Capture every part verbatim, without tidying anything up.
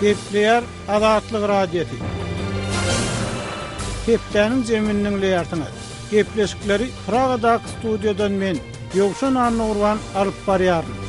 Gepleýär Azatlyk Radiosy. Hepdäniň jemini diňleýärsiňiz. Gepleşikleri Pragadaky studiýadan men, Ýowşan Annagurban alyp barýaryn.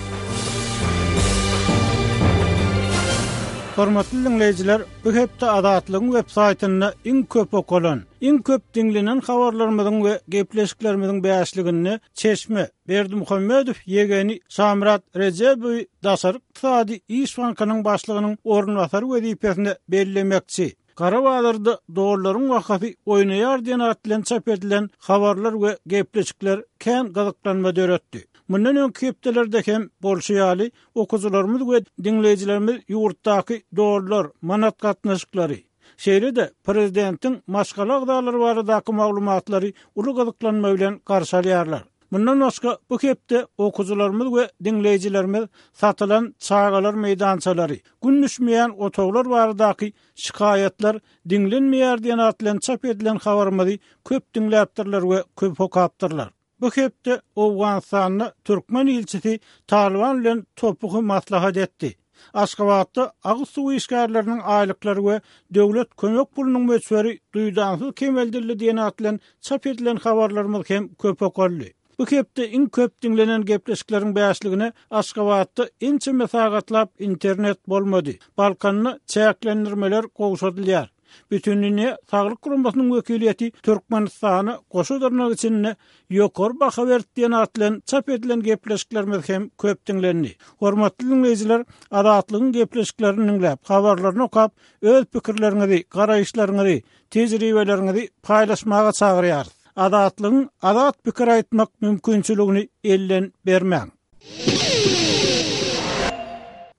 Hormatly dinleýjiler, bu hepde Azatlygyň web saýtynda iň köp okalan, iň köp diňlenen habarlarymyzyň we gepleşiklerimiziň bäşliginde Çeşme Berdimuhamedow ýegeni Şamyrat Rejebowy Daşary ykdysady iş bankynyň başlygynyň orunbasary wezipesine bellemekçi. Gara bazarda dollaryň bahasy oýnaýar diýen at bilen çap edilen habarlar we gepleşikler kän gyzyklanma döretdi. Mundan öňki hepdelerde hem bolşy ýaly okyjylarymyz we diňleýjilerimiz ýurtdaky dollar, manat gatnaşyklary, şeýle-de prezidentiň maşgala agzalary baradaky maglumatlary uly gyzyklanma bilen garşy alýarlar. Mundan başga bu hepde okyjylarymyz we diňleýjilerimiz satylan çagalar meýdançalary, gün düşmeýän otaglar baradaky şikaýatlar diňlenmeýär diýen at bilen çap edilen habarymyzy köp diňläpdirler we köp okapdyrlar. Bu hepde Owganystanda türkmen ilçisi Taliban bilen topugy maslahat etdi. Aşgabatda agyz suw işgärleriniň aýlyklary we döwlet kömek pulunyň möçberi duýdansyz kemeldildi diýen at bilen çap edilen habarlarymyz hem köp okaldy. Bu hepde iň köp diňlenen gepleşikleriň bäşligine Aşgabatda ençeme sagatlap internet bolmady. Balkanda çäklendirmeler gowşadylýar. Bütindünýä Saglyk Guramasynyň wekiliýeti Türkmenistana goşa dyrnak içinde ýokary baha berdi diýen at bilen çap edilen gepleşiklerimiz hem köp diňlendi. Hormatly dinleýjiler, Azatlygyň gepleşiklerini diňläp, habarlaryny okap, öz pikirleriňizi, garaýyşlaryňyzy, tejribeleriňizi paýlaşmaga çagyrýarys. Azatlygyň azat pikir aýtmak mümkinçiligini elden bermäň.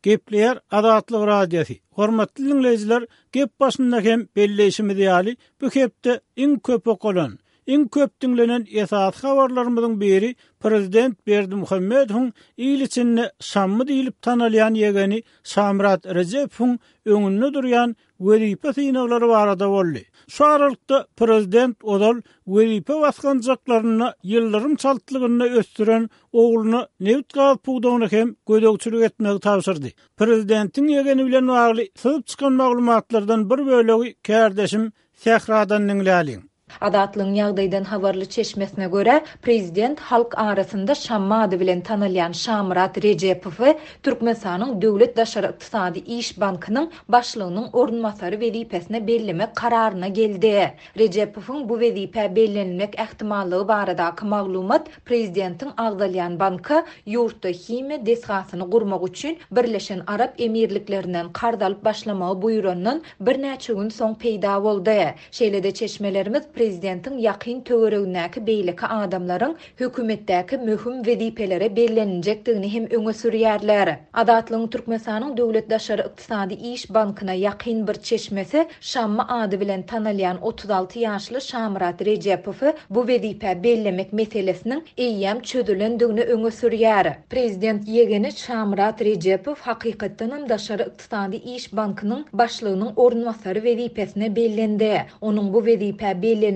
Gepleýär Azatlyk Radiosy. Hormatly dinleýjiler, gep başynda hem belleýşimiz ýaly, bu hepde iň köp okalan, iň köp diňlenen esasy habarlarymyzyň biri prezident Berdimuhamedowyň il içinde Şammy diýlip tanalýan ýegeni Şamyrat Rejebowyň öňünde durýan wezipe synaglary barada boldy. Şu aralykda prezident ozal wezipe basgançaklarynda ýyldyrym çaltlygynda ösdüren ogluna nebit gaz pudagyny hem gözegçilik etmegi tabşyrdy. Prezidentiň ýegeni bilen bagly syzyp çykan maglumatlardan bir bölegi kärdeşim Sähradan diňläliň. Azatlygyň ýagdaýdan habarly çeşmesine görä, prezident halk arasynda Şammy ady bilen tanalýan Şamyrat Rejebowy Türkmenistanyň Döwlet Daşary Ykdysady Iş Bankynyň başlygynyň orunbasary wezipesine bellemek kararyna geldi. Rejebowyň bu wezipä bellenilmek ähtimallygy baradaky maglumat prezidentiň agzalýan banka ýurtda himiýa desgasyny gurmak üçin Birleşen Arap Emirliklerinden karz alyp başlamagy buýrandan birnäçe gün soň peýda boldy. Şeýle-de çeşmelerimiz prezidentiň ýakyn töweregindäki beýleki adamlaryň hökümetdäki möhüm wezipelere belleniljekdigini hem öňe sürýärler. Azatlygyň Türkmenistanyň Döwlet Daşary Ykdysady Iş Bankyna ýakyn bir çeşmesi Şammy ady bilen tanalýan otuz alty ýaşly Şamyrat Rejebowy bu wezipä bellemek meselesiniň eýýäm çözülendigini öňe sürýär. Prezident ýegeni Şamyrat Rejebow hakykatdanam Daşary Ykdysady Iş Bankynyň başlygynyň orunbasary wezipesine bellendi. Onuň bu wezipä bellenilendigi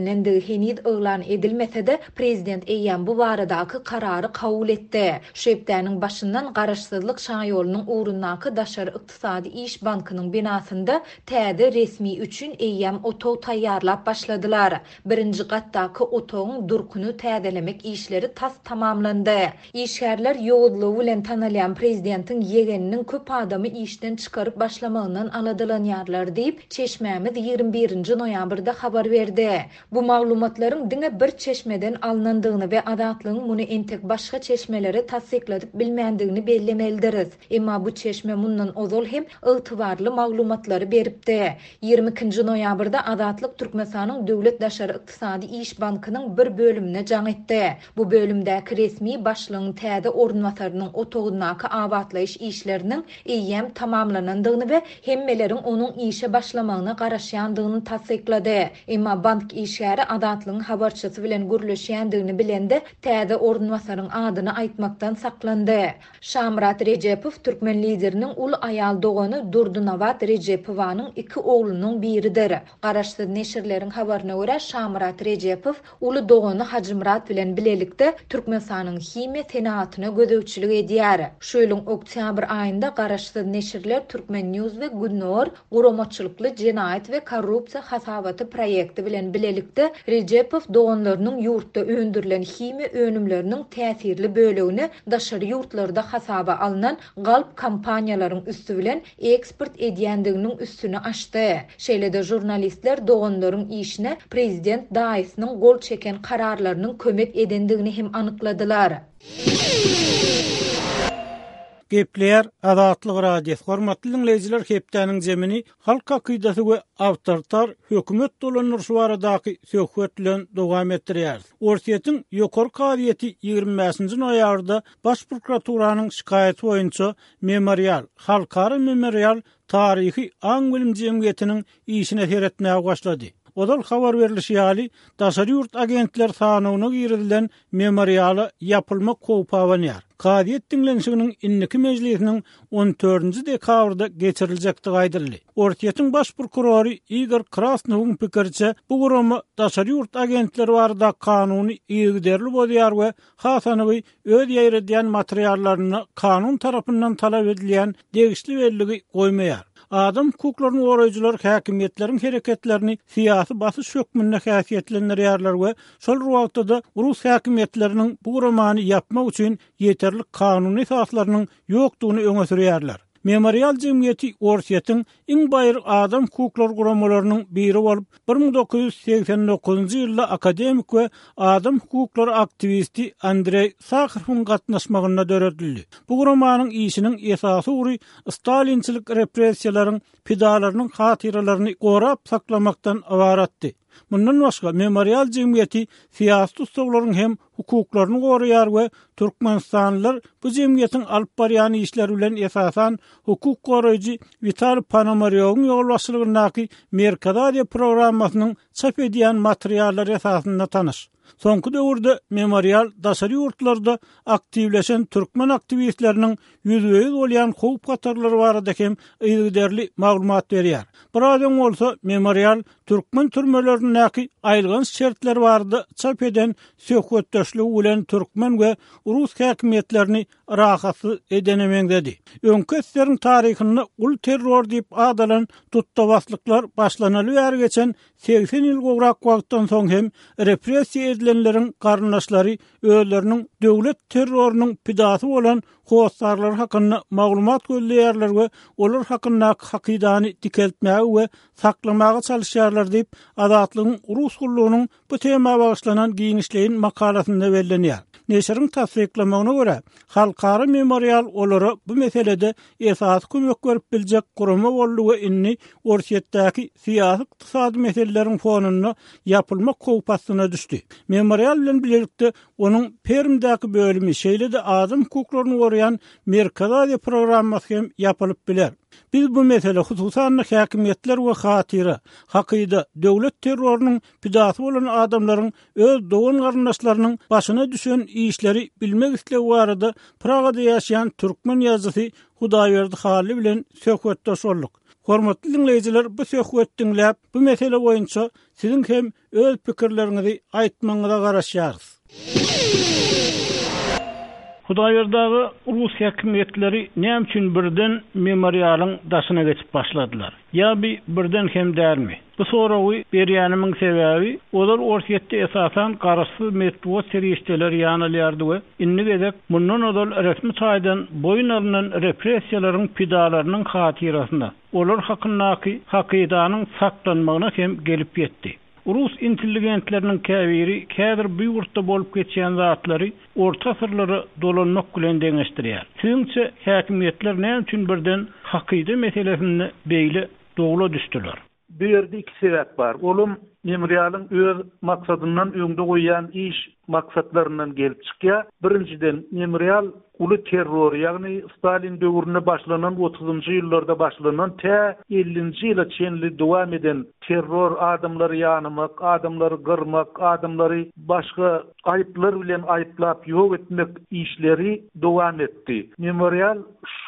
heniz yglan edilmese-de, prezident eýýäm bu baradaky karary kabul etdi. Şu hepdäniň başyndan Garaşsyzlyk şaýolunyň ugrundaky Daşary Ykdysady Iş Bankynyň binasynda täze resmi üçin eýýäm otag taýýarlap başladylar. Birinji gatdaky otagyň durkuny täzelemek işleri tas tamamlandy. Işgärler ýowuzlygy bilen tanalýan prezidentiň ýegeniniň köp adamy işden çykaryp başlamagyndan aladalanýarlar diýip, çeşmämiz ýigrimi birinji noýabrda habar berdi. Bu maglumatlaryň diňe bir çeşmeden alnandygyny we Azatlygyň muny entek başga çeşmelere tassykladyp bilmändigini bellemelidiris. Emma bu çeşme mundan ozal hem ygtybarly maglumatlary beripdi. Ýigrimi ikinji noýabrda Azatlyk Türkmenistanyň Döwlet Daşary Ykdysady Iş Bankynyň bir bölümine jaň etdi. Bu bölümdäki resmi başlygyň täze orunbasarynyň otagyndaky abatlaýyş işleriniň eýýäm tamamlanandygyny we hemmeleriň onuň işe başlamagyna garaşýandygyny tassyklady. Emma bank işgäri Azatlygyň habarçysy bilen gürleşýändigini bilende, täze orunbasaryň adyny aýtmakdan saklandy. Şamyrat Rejepow türkmen lideriniň uly aýal dogany Durdynabat Rejepowanyň iki oglunyň biridir. Garaşsyz neşirleriň habaryna görä, Şamyrat Rejepow uly dogany Hajymyrat bilen bilelikde Türkmenistanyň himiýa senagatyna gözegçilik edýär. Şu ýylyň oktýabr aýynda garaşsyz neşirler Turkmen News we Gündogar guramaçylykly jenaýat we korrupsiýa hasabaty proýekti bilen bilelikde Rejepow doganlarynyň ýurtda öndürilen himiýa önümleriniň täsirli bölegini daşary ýurtlarda hasaba alnan galp kompaniýalaryň üsti bilen eksport edýändiginiň üstüni açdy. Şeýle-de žurnalistler doganlaryň işine prezident daýysynyň gol çeken kararlarynyň kömek edendigini hem anykladylar. Gepleýär Azatlyk Radiosy. Hormatly diňleýjiler, hepdäniň zemini halk hakydasy we awtoritar hökümet dolandyryşy baradaky söhbet bilen dowam etdirýär. Orsýetiň ýokary kazyýeti ýigrimi bäşinji noýabrda Baş prokuraturanyň şikaýaty boýunça Memorial, Halkara Memorial taryhy aň-bilim jemgyýetiniň işine seretmäge başlady. Ozal habar berlişi ýaly, daşary ýurt agentler sanawyna girizilen Memoriala ýapylmak howpy abanýar. Kazyýet diňlenişiginiň indiki mejlisiniň on dördünji dekabrda geçiriljekdigi aýdyldy. Orsýetiň baş prokurory Igor Krasnowyň pikiriçe, bu gurama daşary ýurt agentleri barada kanuny yzygiderli bozýar we has anygy öz ýaýradýan materiallaryna kanun tarapyndan talap edilýän degişli belligi goýmaýar. Adam hukuklaryny goraýjylar häkimiýetleriň hereketlerini syýasy basyş hökmünde häsiýetlendirýärler we şol wagtda-da rus häkimiýetleriniň bu guramany ýapmak üçin ýeterlik kanuny esaslarynyň ýokdugyny öňe sürýärler. Memorial jemgyýeti Orsýetiň iň baýry adam hukuklary guramalarynyň biri bolup, bir müň dokuz ýüz segsen dokuzynjy ýylda akademik we adam hukuklary aktiwisti Andreý Saharowyň gatnaşmagynda döredildi. Bu guramanyň işiniň esasy ugry stalinçilik repressiýalaryň pidalarynyň hatyralaryny gorap saklamakdan ybaratdy. Mundan başga Memorial jemgyýeti syýasy tussaglaryň hem hukuklaryny goraýar we Türkmenistanlylar bu jemgyýetiň alyp barýan işleri bilen esasan hukuk goraýjy Witaliý Ponomarýowyň ýolbaşçylygyndaky Merkezi Aziýa programmasynyň çap edýän materiallary esasynda tanyş. Soňky döwürde Memorial daşary ýurtlarda aktiwleşen türkmen aktiwistleriniň ýüzbe-ýüz bolýan howp hatarlary barada hem yzygiderli maglumat berýär. Biraz öň bolsa Memorial türkmen türmelerindäki aýylganç şertler barada çap eden söhbetdeşligi bilen türkmen we rus häkimiýetlerini rahatsyz edene meňzedi. Öňki eseriň taryhynda uly terror diýip adalan tutdabaslyklar başlanaly bäri geçen segsen ýyl gowrak wagtdan soň hem repressiýa edilenleriň garyndaşlary özleriniň döwlet terrorynyň pidasy bolan hossarlary hakynda maglumat gözleýärler we olar hakyndaky hakydany dikeltmäge we saklamaga çalışýarlar diýip Azatlygyň Rus gullugynyň bu tema bagyşlanan giňişleýin makalasynda bellenýär. Neşiriň tassyklamagyna görä, Halkara Memorial olara bu meselede esasy kömek berip biljek gurama boldy we indi Orsýetdäki syýasy ykdysady meseleleriň fonunda ýapylmak howpy astyna düşdi. Memorial bilen birlikde onuň Permdäki bölümi, şeýle-de adam hukuklaryny goraýan Merkezi Aziýa programmasy hem ýapylyp biler. Biz bu mesele hususan häkimiýetler we hatyra, hakyda, döwlet terrorynyň pidasy bolan adamlaryň öz dogan garyndaşlarynyň başyna düşen işleri bilmek islegi barada Pragada ýaşaýan türkmen ýazyjysy Hudaýberdi Hally bilen söhbetdeş bolduk. Hormatly diňleýjiler, bu söhbet diňläp, bu mesele boýunça siziň hem öz pikirleriňizi aýtmagyňyza garaşýarys. Hudaýberdi aga, rus häkimiýetleri näme üçin birden memorialyň daşyna geçip başladylar? Ýa bir birden hem dälmi? Bu soragy berýänimiň sebäbi, olar Orsýetde esasan garaşsyz metbugat serişdeleri ýanalýardy we indi gezek mundan ozal resmi taýdan boýun alynan repressiýalaryň pidalarynyň hatyrasyna, olar hakyndaky hakydanyň saklanmagyna hem gelip ýetdi. Rus intelligentleriniň käbiri häzir bu ýurtda bolup geçýän zatlary orta asyrlara dolanmak bilen deňeşdirýär. Siziňçe häkimiýetler näme üçin birden hakyda meselesinde beýle dowla düşdüler? Bu ýerde iki sebäp bar. Olam Memorialyň öz maksadyndan öňde goýýan iş maksatlaryndan gelip çykýar. Birinjiden, Memorial uly terror, ýagny Stalin döwründe başlanan otuzynjy ýyllarda başlanan tä ellinji ýyla çenli dowam eden terror, adamlary ýanamak, adamlary gyrmak, adamlary başga aýyplar bilen aýyplap ýok etmek işleri dowam etdi. Memorial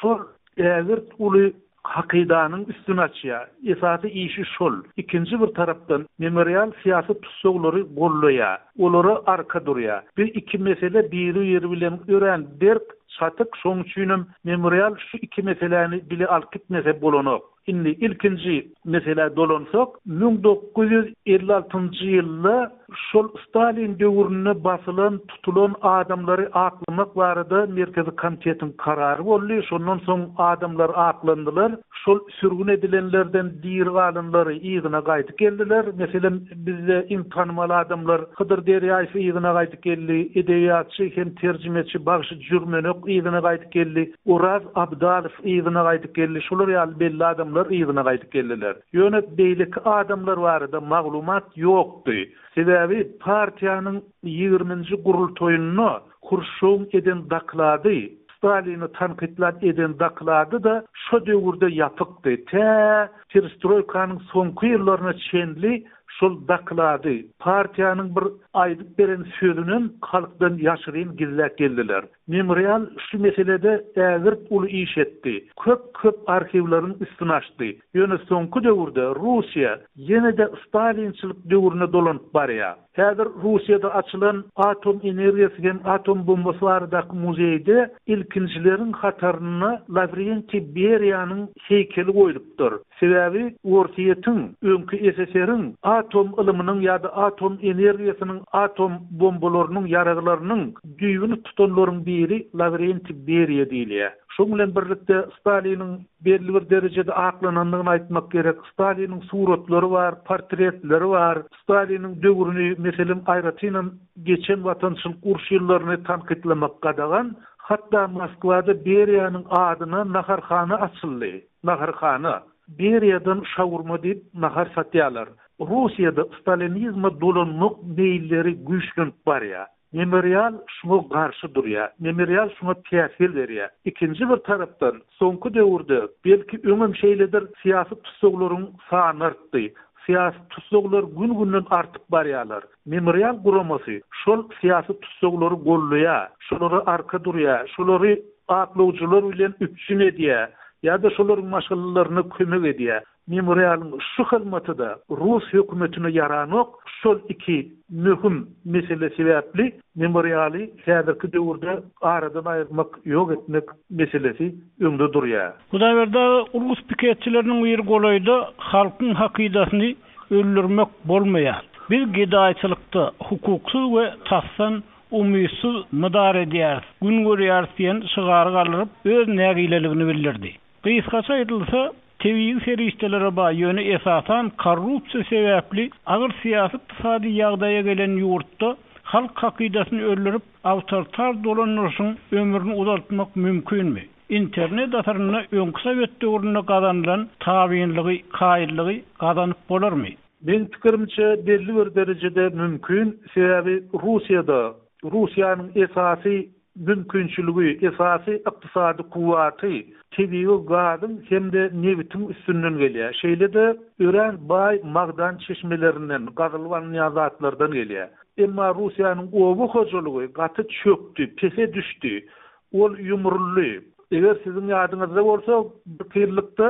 şol ägirt uly hakydanyň üstüni açýar. Esasy işi şol. Ikinji bir tarapdan Memorial syýasy tussaglary gollaýar. Olara arka durýar. Bu iki mesele biri-biri bilen örän berk çatyk, şonuň üçinem Memorial şu iki meseläni bile alyp gitmese bolanok. Indi ilkinji meselä dolansak, müň dokuz ýüz elli altynjy ýylda şol Stalin döwründe basylan, tutulan adamlary aklamak barada Merkezi komitetiň karary boldy. Şondan soň adamlar aklandylar. Şol sürgün edilenlerden diri galanlary yzyna gaýdyp geldiler. Meselem, bizde iň tanymal adamlar Hydyr Derýaýew yzyna gaýdyp geldi, edebiýatçy hem terjimeçi Bagşy Jürmenek yzyna gaýdyp geldi, Oraz Abdalow yzyna gaýdyp geldi. Şolar ýaly belli adamlar yzyna gaýdyp geldiler. Ýöne beýleki adamlar barada maglumat ýokdy. Sebäbi partiýanyň ýigriminji gurultaýynda Hruşşowyň eden doklady, Stalini tankytlap eden doklady da şo döwürde ýapykdy. Tä perestroýkanyň soňky ýyllaryna çenli şol doklady, partiýanyň bir aýdyp beren sözünem halkdan ýaşyryn gizläp geldiler. Memorial şu meselede ägirt uly iş etdi. Köp-köp arhiwleriň üstüni açdy. Ýöne soňky döwürde Russiýa ýene-de Stalinçilik döwrüne dolanyp barýar. Häzir Russiýada açylan atom energiýasy hem atom bombasy baradaky muzeýde ilkinjileriň hatarynda Lavrentiý Beriýanyň heýkeli goýlupdyr. Sebäbi Orsýetiň, öňki S S R-iň atom ylymynyň ýa-da atom energiýasynyň, atom bombalarynyň, ýaraglarynyň düýbüni tutanlaryň biri Lavrentiý Beriýa diýilýär. Şonuň bilen birlikde Staliniň belli bir derejede aklanandygyny aýtmak gerek. Staliniň suratlary bar, portretleri bar. Staliniň döwrüni, meselem, aýratynam geçen watançylyk uruş ýyllaryny tankytlamak gadagan. Hatda Moskwada Beriýanyň adyna naharhana açyldy. Naharhana. Beriýadan şawurma diýip nahar satýarlar. Russiýada stalinizme dolanmak meýilleri güýçlenip barýar. Memorial şuňa garşy durýar. Memorial şuňa päsgel berýär. Ikinji bir tarapdan soňky döwürde belki öňem şeýledir syýasy tussaglaryň sany artdy. Syýasy tussaglar gün-günden artyp barýarlar. Memorial guramasy şol syýasytussaglary gollaýar, şolara arka durýar, şolary aklawjylar bilen üpjün edýär ýa-da şolaryň maşgalalaryna kömek edýär. Memorialyň şu hyzmaty da Rus hökümetine ýaranok. Şol iki möhüm mesele sebäpli memorialy häzirki döwürde aradan aýyrmak, ýok etmek meselesi öňde durýar. Hudaýberdi aga, Rus piketçileriniň biri golaýda halkyň hakydasyny öldürmek bolmaýar. Biz gedaýçylykda hukuksyz we tasdan umytsyz mydar edýäris, gün görýäris diýen şygary galdyryp öz nägileligini bildirdi. Gysgaça aýdylsa, tebigy serişdelere baý, ýöne esasan korrupsiýa sebäpli agyr syýasy ykdysady ýagdaýa gelen ýurtda halk hakydasyny öldürip awtoritar dolandyryşyň ömrüni uzaltmak mümkinmi? Internet asyrynda öňki Sowet döwründe gazanylan tabynlygy, kaýyllygy gazanyp bolarmy? Men pikirimçe belli bir derejede mümkin, sebäbi Russiýada Russiýanyň esasy mümkinçiligi, esasy ykdysady kuwwaty tebigy gazyň hem-de nebitiň üstünden gelýär. Şeýle-de örän baý magdan çeşmelerinden, gazylyp alynýan zatlardan gelýär. Emma Russiýanyň oba hojalygy gaty çökdi, pese düşdi. Ol ýumruldy. Eger siziň ýadyňyzda bolsa, bir ýyllykda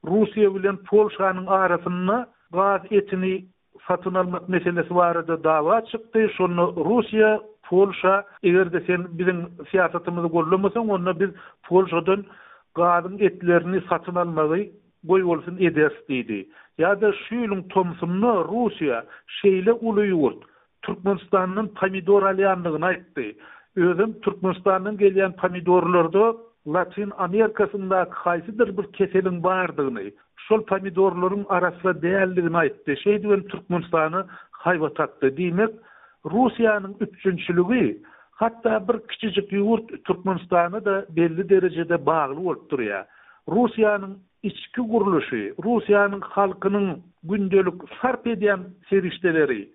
Russiýa bilen Polşanyň arasynda gaz etini satyn almak meselesi barada dawa çykdy. Şonda Russiýa Polşa, eger-de sen biziň syýasatymyzy gollamasaň, onda biz Polşadan gazyň etlerini satyn almagy goý bolsun ederis diýdi. Ýa-da şu ýylyň tomsunda Russiýa şeýle uly ýurt Türkmenistandan pomidor alýandygyny aýtdy. Özüm Türkmenistandan gelýän pomidorlarda Latin Amerikasyndaky haýsydyr bir keseliň bardygyny, şol pomidorlaryň arasy däldigini aýtdy. Şeýdibem Türkmenistana haýbat atdy. Diýmek, Russiýanyň üpjünçiligi hatda bir kiçijik ýurt Türkmenistana da belli derejede bagly bolup durýar. Russiýanyň içki gurluşy, Russiýanyň halkynyň gündelik sarp edýän serişdeleri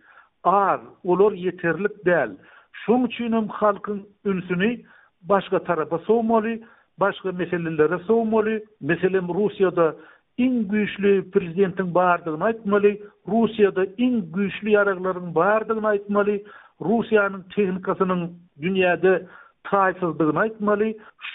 az, olar ýeterlik däl. Şoň üçinem halkyň ünsüni başga tarapa sowmaly, başga meselelere sowmaly. Meselem, Russiýada iň güýçli prezidentiň bardygyny aýtmaly, Russiýada iň güýçli ýaraglaryň bardygyny aýtmaly, Russiýanyň tehnikasynyň dünýäde taýsyzdygyny aýtmaly.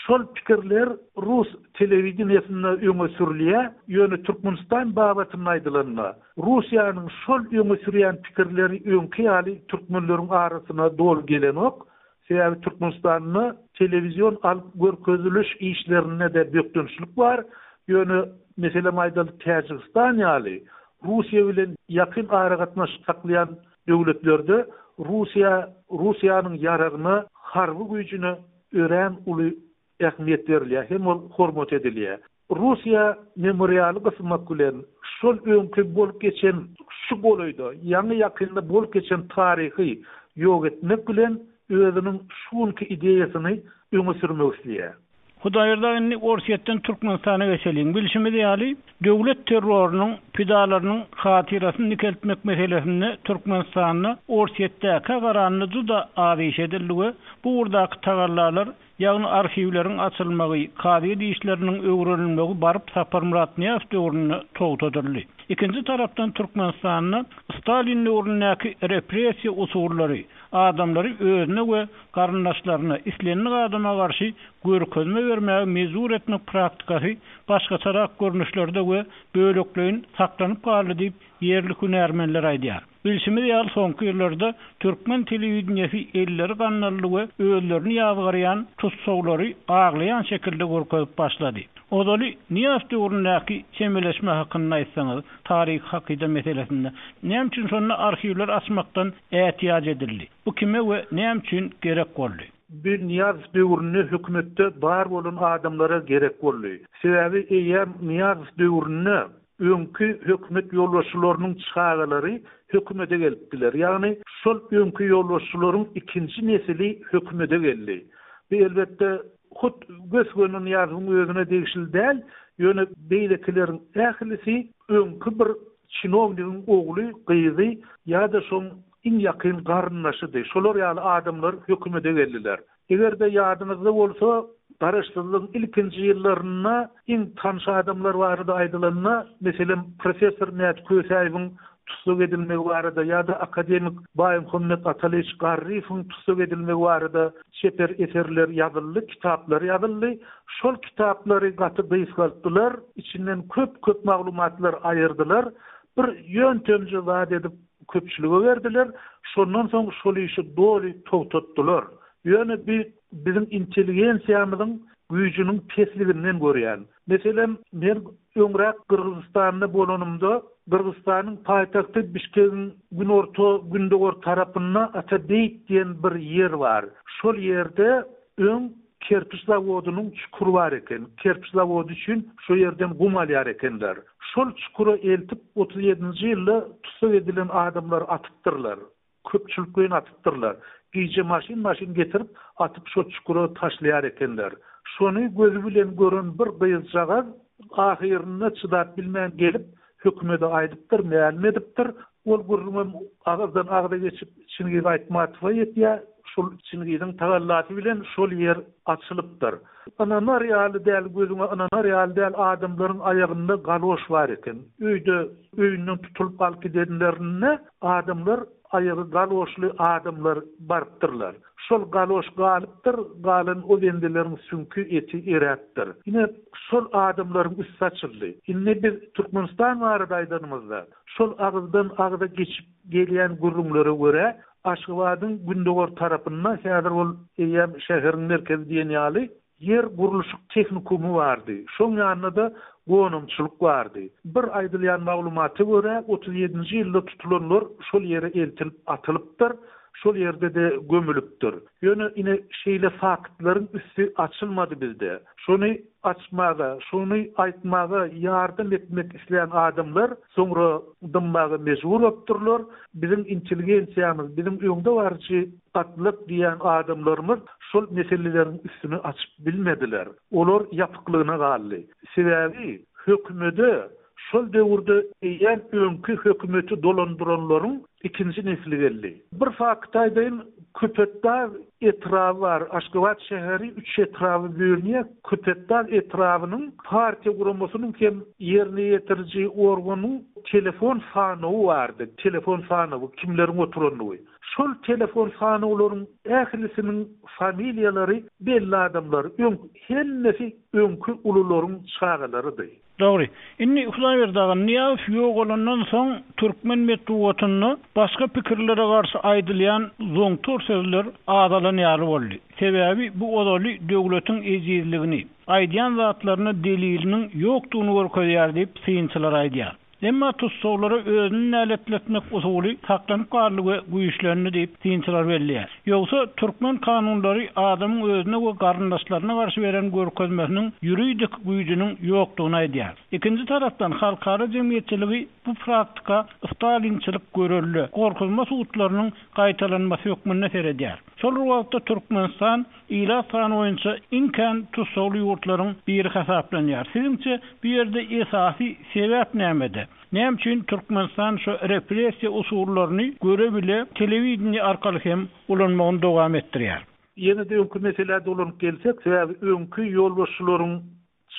Şol pikirler rus telewideniýesinde öňe sürülýär, ýöne Türkmenistan babatynda aýdylanda, Russiýanyň şol öňe sürýän pikirleri öňki ýaly türkmenleriň arasyna doly gelenok. Sebäbi Türkmenistanda telewizion alyp görkeziliş işlerinde-de bökdençlik bar. Ýöne, meselem aýdaly, Täjigistan ýaly Russiýa bilen ýakyn aragatnaşyk saklaýan döwletlerde Russiýa, Russiýanyň ýaragyna, harby güýjüne örän uly ähmiýet berilýär hem ol hormat edilýär. Russiýa memorialy gysmak bilen, şol öňki bolup geçen, şu golaýda, ýaňy-ýakynda bolup geçen taryhy ýok etmek bilen özüniň şu günki ideýasyny öňe sürmek isleýär. Hudaýberdi aga indi Orsýetden Türkmenistana geçeliň. Bilşimiz ýaly, döwlet terrorynyň pidalarynyň hatyrasyny dikeltmek meselesinde Türkmenistanda Orsýetdäkä garanda juda az iş edildi we bu ugurdaky tagallalar, ýagny arhiwleriň açylmagy, kazyýet işleriniň öwrenilmegi baryp Saparmyrat Nyýazow döwründe togtadyldy. Ikinji tarapdan Türkmenistanda Stalin döwründäki repressiýa usullary, adamlary özüne we garyndaşlaryna, islendik adama garşy görkezme bermäge mejbur etmek praktikasy başgaçarak görnüşlerde we bölekleýin saklanyp galdy diýip, ýerli hünärmenler aýdýar. Bilşimiz ýaly, soňky ýyllarda türkmen telewideniýesi elleri gandally we özlerini ýazgarýan tussaglary aglaýan şekilde görkezip başlady. Ozaly Nyýazow döwründäki çemeleşme hakynda aýtsaňyz, taryhy hakyda meselesinde näme üçin şonda arhiwleri açmakdan ätiýaç edildi? Bu kime we näme üçin gerek boldy? Bu Nyýazow döwründe hökümetde bar bolan adamlara gerek boldy. Sebäbi eýýäm Nyýazow döwründe öňki hökümet ýolbaşçylarynyň çagalary hökümete gelipdiler. Ýagny şol öňki ýolbaşçylaryň ikinji nesili hökümete geldi. Bu elbetde hut gös-göni Nyýazowyň özüne degişli däl, ýöne beýlekileriň ählisi öňki bir çinownigiň ogly, gyzy ýa-da şoň iň ýakyn garyndaşydy. Şolar ýaly adamlar hökümete geldiler. Eger-de ýadyňyzda bolsa, Garaşsyzlygyň ilkinji ýyllarynda iň tanyş adamlar barada aýdylanda, meselem, professor Mäti Kösäýewiň tussag edilmegi barada ýa-da akademik Baýmuhammet Atalyç Garryýewiň tussag edilmegi barada çeper eserler ýazyldy, kitaplar ýazyldy. Şol kitaplary gaty gysgaltdylar, içinden köp-köp maglumatlar aýyrdylar. Bir ýöntemje zat edip köpçülige berdiler. Şondan soň şol işi doly togtatdylar. Ýöne bi biziň intelligensiýamyzyň güýjüniň pesliginden görýän. Meselem, men öňräk Gyrgyzystanda bolanymda, Gyrgyzystanyň paýtagty Bişkegiň günorta-gündogar tarapynda Atabeýt diýen bir ýer bar. Şol ýerde öň kerpiç zawodynyň çukury bar eken. Kerpiç zawody üçin şo ýerden gum alýar ekenler. Şol çukura eltip otuz ýedinji ýylda tussag edilen adamlary atypdyrlar. Köpçülikleýin atypdyrlar. Gije maşyn-maşyn getirip, atyp şo çukura taşlaýar ekenler. Şony gözi bilen gören bir gyzjagaz ahyrynda çydap bilmän gelip, hökümede aýdypdyr, mälim edipdir. Ol gürrüňem agyzdan agza geçip Çingiz Aýtmatowa ýetýär. Şol Çingiziň tagallasy bilen şol ýer açylypdyr. Ynanar ýaly däl, gözüňe ynanar ýaly däl adamlaryň aýagynda galoş bar eken. Öýde öýünden tutulyp alyp gidenlerinde adamlar aýagy galoşly adamlar barypdyrlar. Şol galoş galypdyr, galan o bendeleriň süňki, eti eräpdir. Ine, şol adamlaryň üsti açyldy. Indi biz Türkmenistan barada aýdanymyzda, şol agyzdan agza geçip gelýän gürrüňlere görä, Aşgabadyň gündogar tarapynda, häzir ol eýýäm şäheriň merkezi diýen ýaly, ýer gurluşyk tehnikumy bardy. Şoň ýanynda-da gonamçylyk bardy. Bir aýdylýan maglumata görä, otuz ýedinji ýylda tutulanlar şol ýere eltilip atylypdyr. Şol ýerde-de gömülipdir. Ýöne ine şeýle faktlaryň üsti açylmady bizde. Şony açmaga, şony aýtmaga ýardam etmek islän adamlar soňra dymmaga mejbur bolupdyrlar. Biziň intelligensiýamyz, biziň öňde baryjy gatlak diýýän adamlarymyz şol meseleleriň üstüni açyp bilmediler. Olar ýapyklygyna galdy. Sebäbi hökümede şol döwürde eýýäm öňki hökümeti dolandyranlaryň ikinji nesli geldi. Bir fakt aýdaýyn, Köpetdag etraby bar. Aşgabat şäheri üç etraba bölünýär. Köpetdag etrabynyň partiýa guramasynyň hem ýerine ýetiriji organyň telefon sanawy bardy. Telefon sanawy, kimleriň oturandygy. Şol telefon sanawlaryň ählisiniň familiýalary belli adamlar, öň hemmesi öňki ulularyň çagalarydy. Dogry. Indi Hudaýberdi aga, Nyýazow ýogalandan soň türkmen metbugatynda başga pikirlere garşy aýdylýan zoňtar sözler azalan ýaly boldy. Sebäbi bu ozaly döwletiň ejizligini, aýdýan zatlaryna deliliniň ýokdugyny görkezýär diýip, synçylar aýdýar. Emma tussaglara özüni näletletmek usuly saklanyp galdy we güýçlendi diýip, synçylar belleýär. Ýogsa türkmen kanunlary adamyň özüne we garyndaşlaryna garşy beren görkezmesiniň ýuridik güýjüniň ýokdugyny aýdýar. Ikinji tarapdan halkara jemgyýetçiligi bu praktika stalinçilik görelde, gorkuzma sudlarynyň gaýtalanmasy hökmünde seredýär. Şol bir wagtda Türkmenistan ilat sany boýunça iň kän tussagly ýurtlaryň biri hasaplanýar. Siziňçe bu ýerde esasy sebäp nämede? Näme üçin Türkmenistan şu repressiýa usullaryny göre bile telewideniýe arkaly hem ulanmagyny dowam etdirýär? Ýene-de öňki meselä dolanyp gelsek, sebäbi öňki ýolbaşçylaryň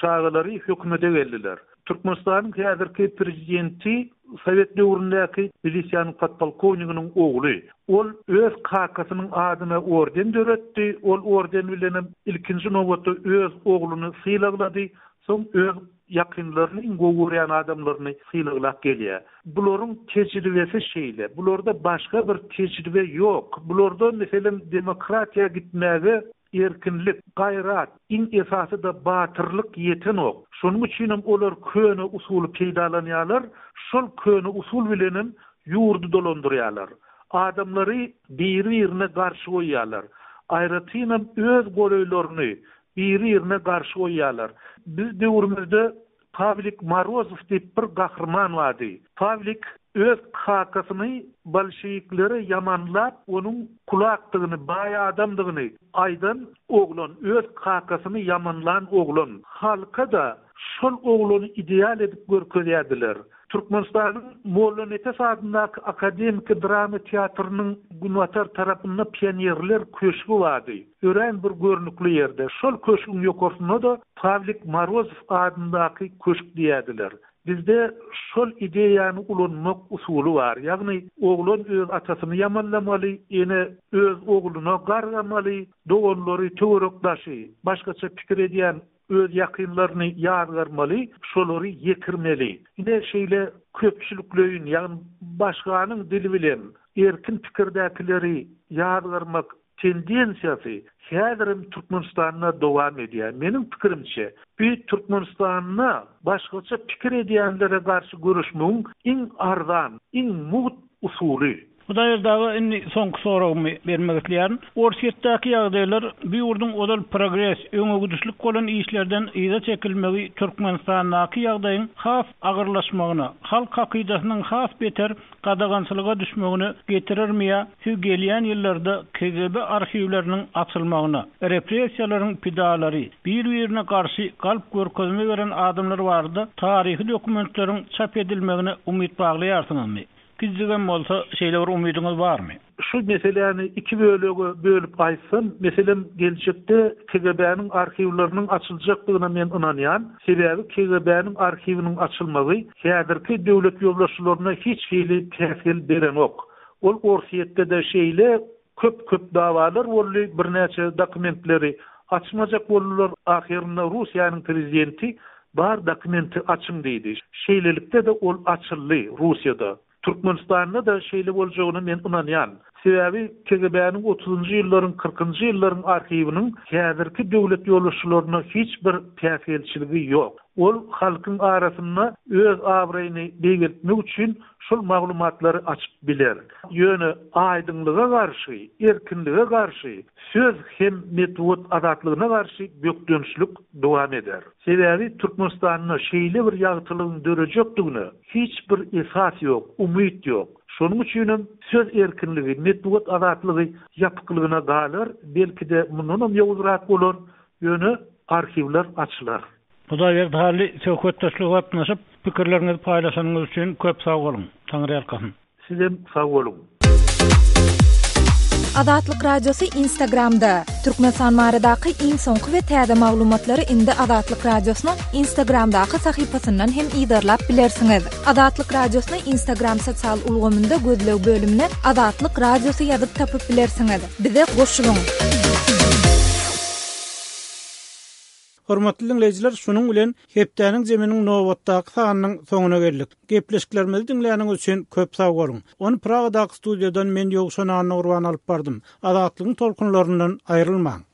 çagalary hökümete geldiler. Türkmenistanyň häzirki prezidenti Sowet döwründäki milisiýanyň podpolkowniginiň ogly. Ol öz kakasynyň adyna orden döretdi. Ol orden bilenem ilkinji nobatda öz ogluny sylaglady. Soň öz ýakynlaryny, iň gowy görýän adamlaryny sylaglap gelýär. Bularyň tejribesi şeýle. Bularda başga bir tejribe ýok. Bularda meselem demokratiýa gitmäge erkinlik, gaýrat, iň esasy-da batyrlyk ýetenok. Şonuň üçinem olar köne usuly peýdalanýarlar. Şol köne usul bilenem ýurdy dolandyrýarlar. Adamlary biri-birine garşy goýýarlar. Aýratynam öz golaýlaryny biri-birine garşy goýýarlar. Biz döwrümizde Pawlik Morozow diýip bir gahryman bardy. Pawlik öz kakasyny bolşewiklere ýamanlap, onuň kulakdygyny, baý adamdygyny aýdan oglan, öz kakasyny ýamanlan oglan. Halka-da şol oglany ideal edip görkezýärdiler. Türkmenistanyň Mollanepes adyndaky akademiki drama teatrynyň günbatar tarapynda pionerler köşgi bardy. Örän bir görnükli ýerde. Şol köşgüň ýokarsynda-da Pawlik Morozow adyndaky köşk diýerdiler. Bizde şol ideýany ulanmak usuly bar. Ýagny oglan öz atasyny ýamanlamaly, ene öz ogluna gargamaly, doganlary, töwerekdaşy, başgaça pikir edýän öz ýakynlaryny ýazgarmaly, şolary ýekirmeli. Ine şeýle köpçülikleýin, ýagny başganyň dili bilen erkin pikirdäkileri ýazgarmak tendensiýasy häzirem Türkmenistanda dowam edýär. Meniň pikirimçe, bu Türkmenistanda başgaça pikir edýänlere garşy görüşmegiň iň arzan, iň mugt usuly. Hudaýberdi aga, indi soňky soragymy bermek isleýärin. Orsýetdäki ýagdaýlar bu ýurduň ozal progres, öňegidişlik bolan işlerden yza çekilmegi Türkmenistandaky ýagdaýyň has agyrlaşmagyna, halk hakydasynyň has beter gadagançylyga düşmegine getirermi ýa siz gelýän ýyllarda K G B arhiwleriniň açylmagyna, repressiýalaryň pidalary, bir-birine garşy galp görkezme beren adamlar barada taryhy dokumentleriň çap edilmegine umyt baglaýarsyňyzmy? Gijigem bolsa şeýle bir umydyňyz barmy? Şu meseläni iki bölege bölüp aýtsam, meselem geljekde K G B-niň arhiwleriniň açyljakdygyna men ynanýan. Sebäbi K G B-niň arhiwiniň açylmagy häzirki döwlet ýolbaşçylaryna hiç hili päsgel berenok. Ol Orsýetde-de şeýle köp-köp dawalar boldy, birnäçe dokumentleri açmajak boldular. Ahyrynda Russiýanyň prezidenti bar dokumenti açyň diýdi. Şeýlelikde-de ol açyldy Russiýada. Türkmenistanda da şeýle boljagyna men ynanýan. Sebäbi K G B-niň otuzynjy ýyllaryň, kyrkynjy ýyllaryň arhiwiniň häzirki döwlet ýolbaşçylaryna hiç bir päsgelçiligi ýok. Ol halkyň arasynda öz abraýyny beýgeltmek üçin şol maglumatlary açyp biler. Ýöne aýdyňlyga garşy, erkinlige garşy, söz hem metbugat azatlygyna garşy bökdençlik dowam eder. Sebäbi Türkmenistanda şeýle bir ýagtylygyň dörejekdigine hiç bir esas ýok, umyt ýok. Şonuň üçin hem söz erkinligi, metbugat azatlygy ýapyklygyna galar, belki-de mundan hem ýowuzrak bolar, ýöne arhiwler açylar. Hudaýberdi Hally, söhbetdeşlige gatnaşyp, pikirleriňizi paýlaşanyňyz üçin köp sag boluň. Taňryýalkasyn. Sizem sag boluň. Azatlyk Radiosy Instagramda. Türkmenistan baradaky iň soňky we täze maglumatlary indi Azatlyk Radiosynyň Instagramdaky sahypasyndan hem yzarlap bilersiňiz. Azatlyk Radiosyny Instagram sosial ulgamynda gözleg bölümine Azatlyk Radiosy ýazyp tapyp bilersiňiz. Bize goşulyň. Hormatly dinleýjiler, şunuň bilen hepdäniň zeminiň nobatdaky sanynyň soňuna geldik. Gepleşiklerimizi diňläniňiz üçin köp sag boluň. Ony Pragadaky studiýadan men Ýowşan Annagurban alyp bardym. Azatlygyň tolkunlaryndan aýrylmaň.